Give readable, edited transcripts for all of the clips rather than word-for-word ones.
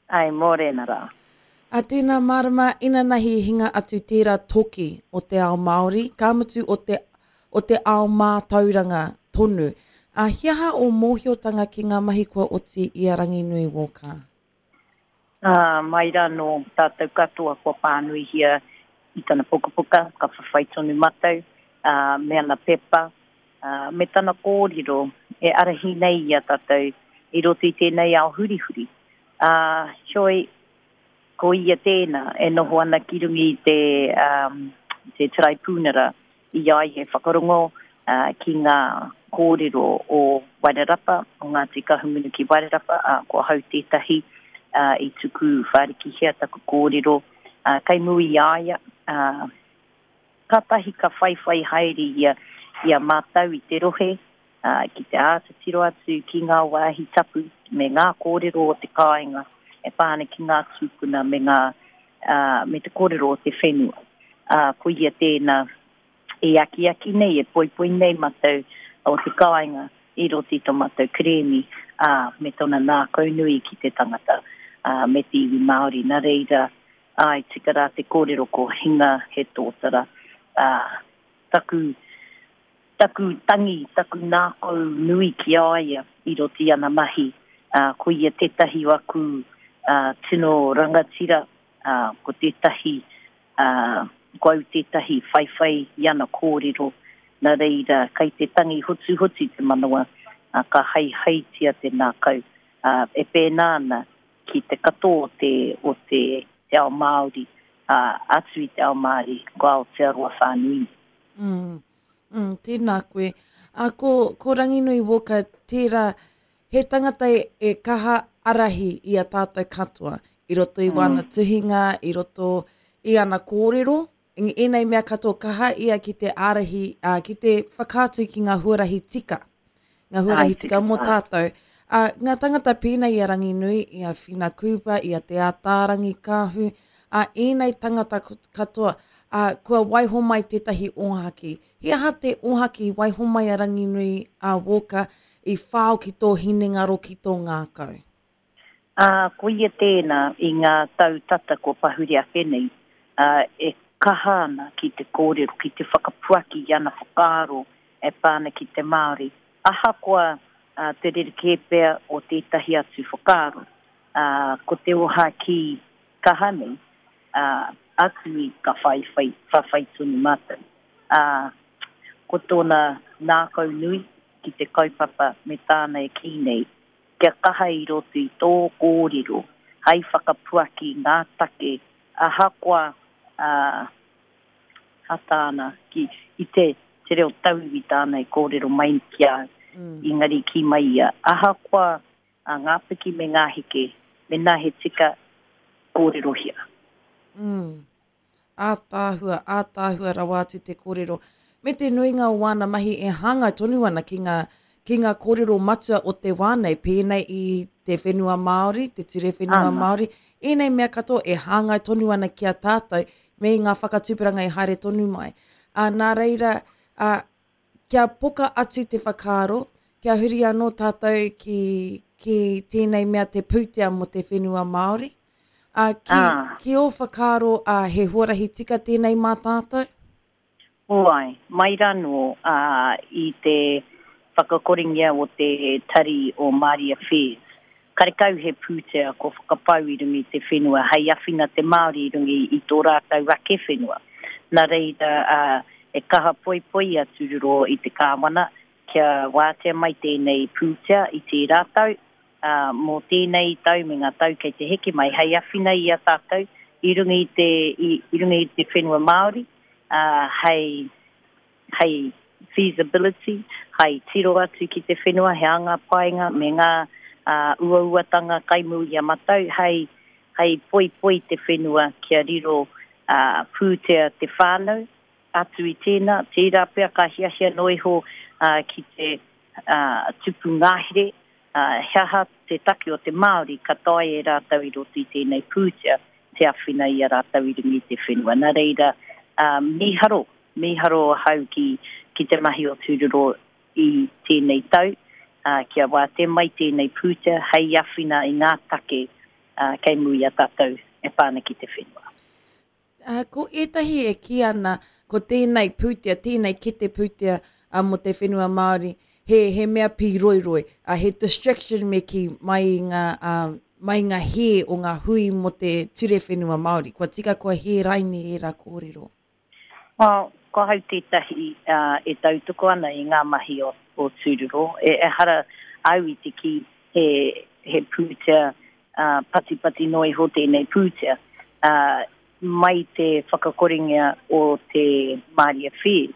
Ai, mōrena rā. A tēnā marama, inanahi i hinga atu tērā toki o te ao Māori, ka mutu o te, o te ao mātauranga tonu. A he aha ō mōhiotanga ki ngā mahi kua oti i a Ranginui Walker? Ā, mai rānō tātou katoa kua pānuihia i tana pukapuka, ka whawhai tonu matou, ā, me ana pepa, ā, me tana kōrero e arahi nei i a tātou i roto i tēnei ao hurihuri. Ā, heoi, ko ia tēnā e noho ana ki runga i te, ā, te taraipūnara i a ia e whakarongo, ā, ki ngā kōrero o Wairarapa, o Ngāti Kahungunu ki Wairarapa, ā, ko ahau tētahi, ā, i tuku whārikihia taku kōrero, ā, kei mua i a ia, ā, Kātahi ka whaiwhai haere ia i a mātou i te rohe, ā, ki te āta tiro atu ki ngā wāhi tapu me ngā kōrero o te kāinga e pā ana ki ngā tūpuna me ngā, ā, me te kōrero o te whenua. Ā, ko ia tēnā e akiaki nei, e poipoi nei mātou o te kāinga i roto i tō mātou kerēmi, ā, me tōna nākaunui ki te tangata, ā, me te iwi Māori. Nā reira, Āe, tika rā te kōrero ko hinga he tōtara, ā, taku, taku tangi, taku nākau nui ki a ia i roto i ana mahi, ā, ko ia tētahi o aku, ā, tino rangatira, ā, ko tētahi, ā, ko au tētahi whaiwhai i ana kōrero, nā reira, kai te tangi hotuhotu te manawa, ā, ka haihaitia te nākau, ā, e pēnā ana ki te katoa o te, o te, te ao Māori, ā, atu i te ao Māori, ko Aotearoa whānui nei. Mm, mm, tēnā koe. Ā, ko, ko Ranginui Walker tērā, he tangata e, e kaha arahi i a tātou katoa, i roto i wāna mm. tuhinga, i roto i ana kōrero, ēnei mea katoa kaha ia ki te ārahi, ā, ki te whakaatu ki ngā huarahi tika, ngā huarahi tika mō tātou. Ā, ngā tangata pēnei i a Ranginui, i a Whina Cooper, i a Te Ātaarangi Kāhu, ā, ēnei tangata katoa, ā, kua waiho mai tētahi ōhaki. He aha te ōhaki i waiho mai a Ranginui, a Walker, i whao ki tō hinengaro, ki tō ngākau? Ā, ko ia tēnā i ngā tau tata kua pahure ake nei, ā, e kaha ana ki te kōrero, ki te whakapuaki i ana whakaaro e pā ana ki te Māori, ahakoa te rerekē pea o tētahi atu whakaaro, ā, ko te ōhākī kaha nei, ā, atu i ka whaiwhai, whawhai tonu mātou. Ā, ko tōna ngākau nui ki te kaupapa me tāna e kī nei, Kia kaha i roto i tō kōrero hai whakapuaki ngā take ahakoa ā ha tāna ki i te te reo tauiwi tāna i kōrero mai ki a au engari kī mai ia ahakoa a ngā piki me ngā heke mēnā he tika kōrerohia. Mm. Ātaahua, ātaahua rawa atu te kōrero. Me te nuinga o wāna mahi e hāngai tonu ana ki ngā, ki ngā kōrero matua o te wā nei, pēnei i te whenua Māori, te ture whenua Ana. Māori, ēnei mea katoa e hāngai tonu ana ki a tātou me ngā whakatupuranga e haere tonu mai. Ā, nā reira, ā, kia poka atu te whakaaro, kia huri anō tātou ki, ki tēnei mea te pūtea mō te whenua Māori. Ā, ki, ah. ki ō whakaaro, ā, he huarahi tika tēnei mā tātou? Āe, mai rānō ā, i te whakakorengia o te tari o Māori Affairs, karekau he pūtea kua whakapau i runga i te whenua hei awhina te Māori i runga i tō rātou ake whenua. Nā reira, ā, e kaha poipoi a Tūroro i te Kāwana kia wātea mai tēnei pūtea i tērā tau, ā, mō tēnei tau me ngā tau kei te heke mai hei awhina i a tātou i runga i te, i, i runga i te whenua Māori, ā, hei, hei feasibility, hai tiro atu ki te whenua, he anga painga me ngā ā, uauatanga kai mū i a matau, hei, hei poipoi te whenua kia riro ā, pūtea te whānau. Atu i tēnā, tērā pea ka hiahia noa iho ā, ki te ā, tupu ngahere, ā, he aha te take o te Māori ka taea e rātou i roto i tēnei pūtea te awhina i a rātou i runga i te whenua. Nā reira, ā, mīharo, mīharo ahau ki, ki te mahi o Tūroro i tēnei tau, ā, kia wātea mai tēnei pūtea hei awhina i ngā take. kei mua i a tātou e pā ana ki te whenua. Ko ētahi e kī ana ko tēnei pūtea, tēnei kete pūtea mō te whenua Māori, he, he mea pīroiroi, he distraction me kī mai i ngā, mai i ngā hē o ngā hui mō te ture whenua Māori. Kua tika kua hē raine ērā kōrero? Well, ko ahau tētahi e tautoko ana i ngā mahi o, o Tūroro. E, ehara au i te kī he, he pūtea uh, patipati noa iho tēnei pūtea. Uh, mai te whakakorengia o te Māori Affairs,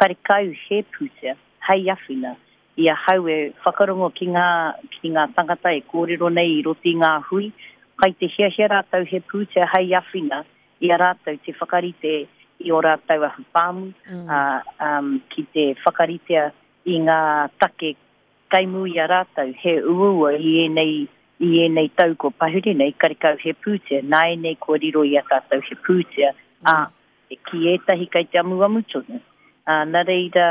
karekau he pūtea hei awhina i ahau e whakarongo ki ngā, ki ngā tangata e kōrero nei i roto i ngā hui, kai te hiahia rātou he pūtea hei awhina i a rātou te whakarite i ō rātou ahu pāmu, mm. ā, um, ki te whakaritea i ngā take kai mū i a rātou, he uaua i ēnei, i ēnei tau kua pahure nei, karekau he pūtea, nāianei kua riro i a tātou he pūtea, ā, ki ētahi kei te amuamu tonu. Ā, nā reira,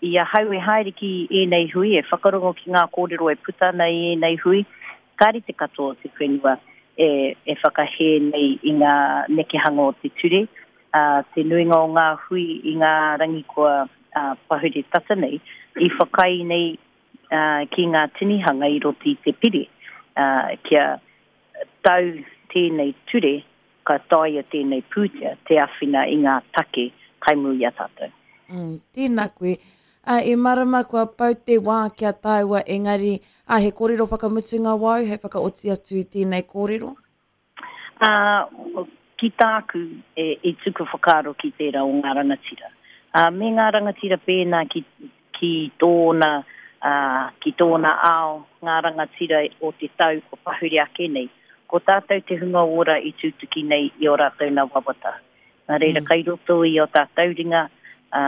i ahau e haere ki ēnei hui, e whakarongo ki ngā kōrero e puta ana i ēnei hui, kāre te katoa o te whenua e, e whakahē nei i ngā nekehanga o te ture. Ā, te nuinga o ngā hui i ngā rangi kua ā, pahure tata nei, i whakaae nei ā, ki ngā tinihanga i roto i te pire, ā, kia tau tēnei ture, ka taea tēnei pūtea te āwhina i ngā take kai mua i a tātou. Mm, tēnā koe. Ā, e marama kua pau te wā ki a tāua, engari, ā, he kōrero whakamutunga wāu hei whakaoti atu i tēnei kōrero? Ā, ki tāku e, i tuku whakaaro ki tērā o ngā rangatira. Ā, me ngā rangatira pēnā ki, ki tōna, ā, ki tōna ao, ngā rangatira o te tau kua pahure ake nei, ko tātou te hunga ora i tūtuki nei i ō rātou nā wawata. Nā reira, mm. kai roto i ō tātou ringa, ā,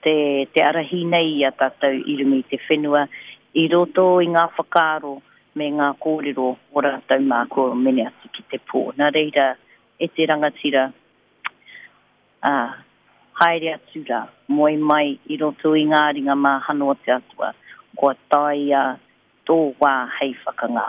te, te arahi nei i a tātou i runga i te whenua, i roto i ngā whakaaro me ngā kōrero o rātou mā kua mene atu ki te pō. Nā reira, e te rangatira, ā, haere atu rā, moe mai i roto i ngā ringa māhano o te Atua, kua taea tō wā hei whakangā.